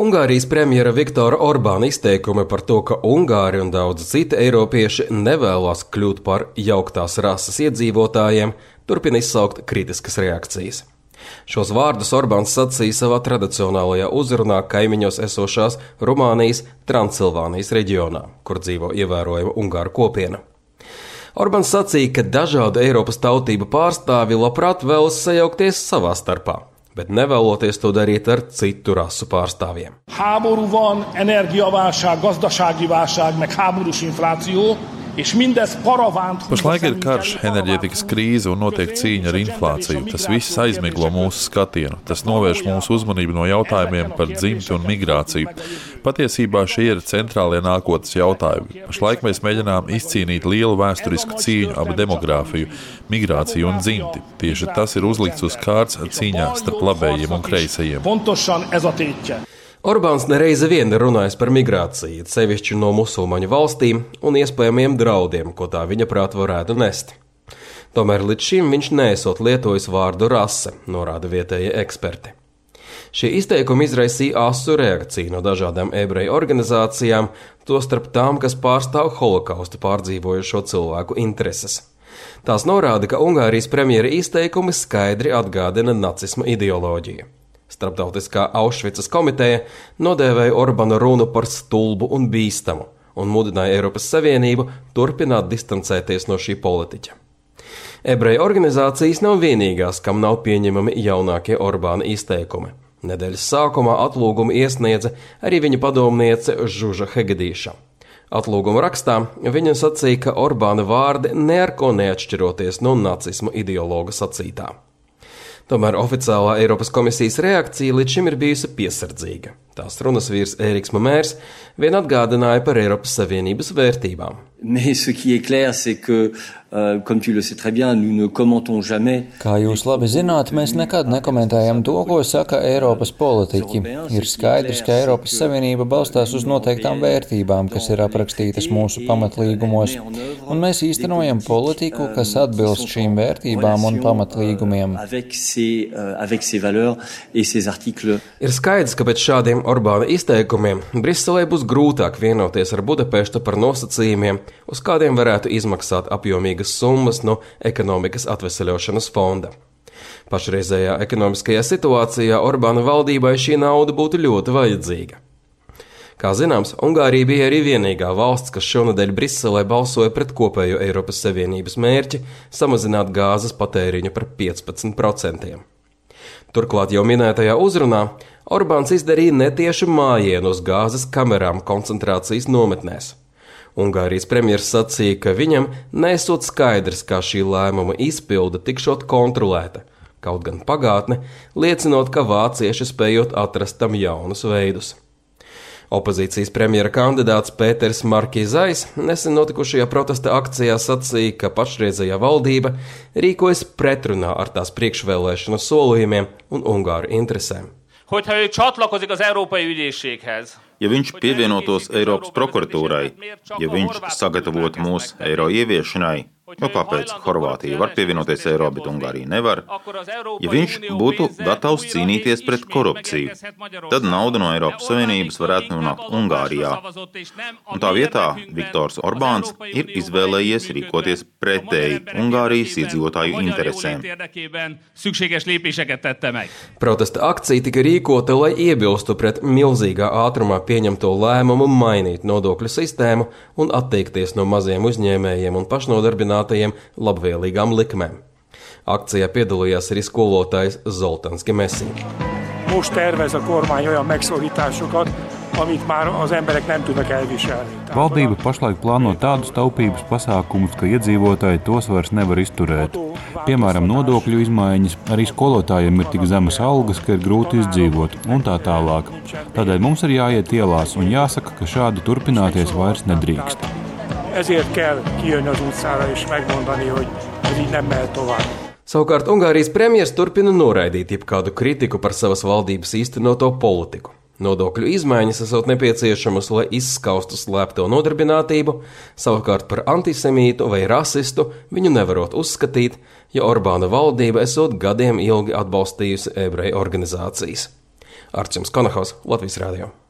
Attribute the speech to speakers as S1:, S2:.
S1: Ungārijas premjera Viktora Orbāna izteikumi par to, ka Ungāri un daudzi citi eiropieši nevēlas kļūt par jauktās rases iedzīvotājiem, turpina izsaukt kritiskas reakcijas. Šos vārdus Orbāns sacīja savā tradicionālajā uzrunā kaimiņos esošās Rumānijas Transilvānijas reģionā, kur dzīvo ievērojama ungāru kopiena. Orbāns sacīja, ka dažādu Eiropas tautību pārstāvi labprāt vēlas sajaukties savā starpā, bet nevēloties to darīt ar citu rasu pārstāvjiem.
S2: Háború van, energiaválság, gazdasági válság, meg háborús infláció.
S3: Pašlaik ir karš, enerģētikas krīze un notiek cīņa ar inflāciju. Tas viss aizmiglo mūsu skatienu. Tas novērš mūsu uzmanību no jautājumiem par dzimti un migrāciju. Patiesībā šie ir centrālie nākotnes jautājumi. Pašlaik mēs mēģinām izcīnīt lielu vēsturisku cīņu ap demogrāfiju, migrāciju un dzimti. Tieši tas ir uzlikts uz kārts cīņā starp labējiem un kreisajiem.
S1: Orbāns nereizi vien runājis par migrāciju, sevišķi no musulmaņu valstīm un iespējamiem draudiem, ko tā viņa prāt varētu nest. Tomēr līdz šim viņš neesot lietojis vārdu rase, norāda vietējie eksperti. Šie izteikumi izraisīja asu reakciju no dažādām ebreju organizācijām, tostarp tām, kas pārstāv holokaustu pārdzīvojušo cilvēku intereses. Tās norāda, ka Ungārijas premjera izteikumi skaidri atgādina nacisma ideoloģiju. Starptautiskā Aušvicas komiteja nodēvēja Orbāna runu par stulbu un bīstamu un mudināja Eiropas Savienību turpināt distancēties no šī politiķa. Ebreju organizācijas nav vienīgās, kam nav pieņemami jaunākie Orbāna izteikumi. Nedēļas sākumā atlūgumu iesniedza arī viņa padomniece Žuža Hegedīša. Atlūguma rakstā viņa sacīja, ka Orbāna vārdi neko neatšķiroties no nacisma ideologa sacītā. Tomēr oficiālā Eiropas komisijas reakcija līdz šim ir bijusi piesardzīga. Tās runas vīrs Ēriks Mamērs vien atgādināja par Eiropas Savienības vērtībām.
S4: Kā jūs labi zināt, mēs nekad nekomentējam to, ko saka Eiropas politiķi. Ir skaidrs, ka Eiropas Savienība balstās uz noteiktām vērtībām, kas ir aprakstītas mūsu pamatlīgumos, un mēs īstenojam politiku, kas atbilst šīm vērtībām un pamatlīgumiem.
S1: Ir skaidrs, ka pēc šādiem Orbāna izteikumiem Briselē būs grūtāk vienoties ar Budapeštu par nosacījumiem, uz kādiem varētu izmaksāt apjomīgas summas no ekonomikas atveseļošanas fonda. Pašreizējā ekonomiskajā situācijā Orbāna valdībai šī nauda būtu ļoti vajadzīga. Kā zināms, Ungārija bija arī vienīgā valsts, kas šonadēļ Briselē balsoja pret kopējo Eiropas Savienības mērķi samazināt gāzes patēriņu par 15%. Turklāt jau minētajā uzrunā Orbāns izdarīja netiešu mājienu uz gāzes kamerām koncentrācijas nometnēs. Ungārijas premjers sacīja, ka viņam nesot skaidrs, kā šī lēmuma izpilde tikšot kontrolēta, kaut gan pagātne liecinot, ka vācieši spējot atrast tam jaunus veidus. Opozīcijas premjera kandidāts Pēters Markizais nesen notikušajā protesta akcijā sacīja, ka pašreizējā valdība rīkojas pretrunā ar tās priekšvēlēšanu solījumiem un Ungāru interesēm.
S5: Ja viņš pievienotos Eiropas prokuratūrai, ja viņš sagatavotu mūs eiro ieviešanai, kāpēc Horvātija var pievienoties eiro, bet Ungārija nevar, ja viņš būtu gatavs cīnīties pret korupciju, tad nauda no Eiropas Savienības varētu nonākt Ungārijā. Un tā vietā Viktors Orbāns ir izvēlējies rīkoties pretēji Ungārijas iedzīvotāju interesēm.
S1: Protesta akcija tika rīkota, lai iebilstu pret milzīgā ātrumā pieņemto lēmumu mainīt nodokļu sistēmu un atteikties no maziem uzņēmējiem un pašnodarbinātajiem labvēlīgām likmēm. Akcijā piedalījās arī skolotājs Zoltans Gemesi.
S2: Most tervez a kormány olyan megszorításokat, amit már az emberek nem tudnak elviselni.
S6: Valdība pašlaik plāno tādus taupības pasākumus, ka iedzīvotāji tos vairs nevar izturēt. Piemēram, nodokļu izmaiņas, arī skolotājiem ir tik zemas algas, ka ir grūti izdzīvot, un tā tālāk. Tādēļ mums ir jāiet ielās un jāsaka, ka šādi turpināties vairs nedrīkst.
S2: Ezért kell kijönni az utcára és megmondani, hogy így nem mehet tovább.
S1: Savukārt Ungārijas premjers turpina noraidīt jebkādu kritiku par savas valdības īstenoto politiku. Nodokļu izmaiņas esot nepieciešamas, lai izskaustu slēpto nodarbinātību, savukārt par antisemītu vai rasistu viņu nevarot uzskatīt, ja Orbāna valdība esot gadiem ilgi atbalstījusi ebreju organizācijas. Arčuns Konahaus, Latvijas radio.